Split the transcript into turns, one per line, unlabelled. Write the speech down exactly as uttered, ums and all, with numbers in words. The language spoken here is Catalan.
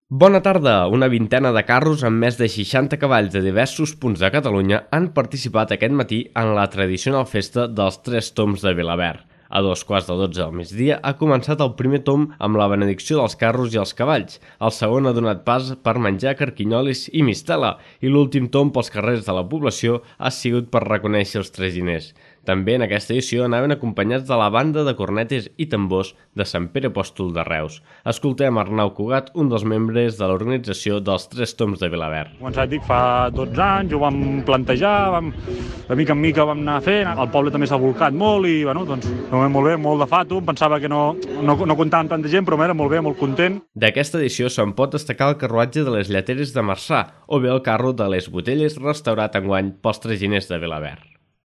Bona tarda! Una vintena de carros amb més de seixanta cavalls de diversos punts de Catalunya han participat aquest matí en la tradicional festa dels Tres Tombs de Vilaverd. A dos quarts de dotze del migdia ha començat el primer tomb amb la benedicció dels carros i els cavalls. El segon ha donat pas per menjar carquinyolis i mistela i l'últim tomb pels carrers de la població ha sigut per reconèixer els traginers. També en aquesta edició anaven acompanyats de la banda de cornetes i tambors de Sant Pere Apòstol de Reus. Escoltem Arnau Cugat, un dels membres de l'organització dels Tres Tombs de Vilaverd.
Com et dic, fa dotze anys ho vam plantejar, vam, de mica en mica vam anar fent, el poble també s'ha volcat molt i bueno, doncs, molt bé, molt de fato, em pensava que no, no, no comptava amb tanta gent, però era molt bé, molt content.
D'aquesta edició se'n pot destacar el carruatge de les Lleteres de Marçà o bé el carro de les Botelles restaurat enguany pels traginers de Vilaverd.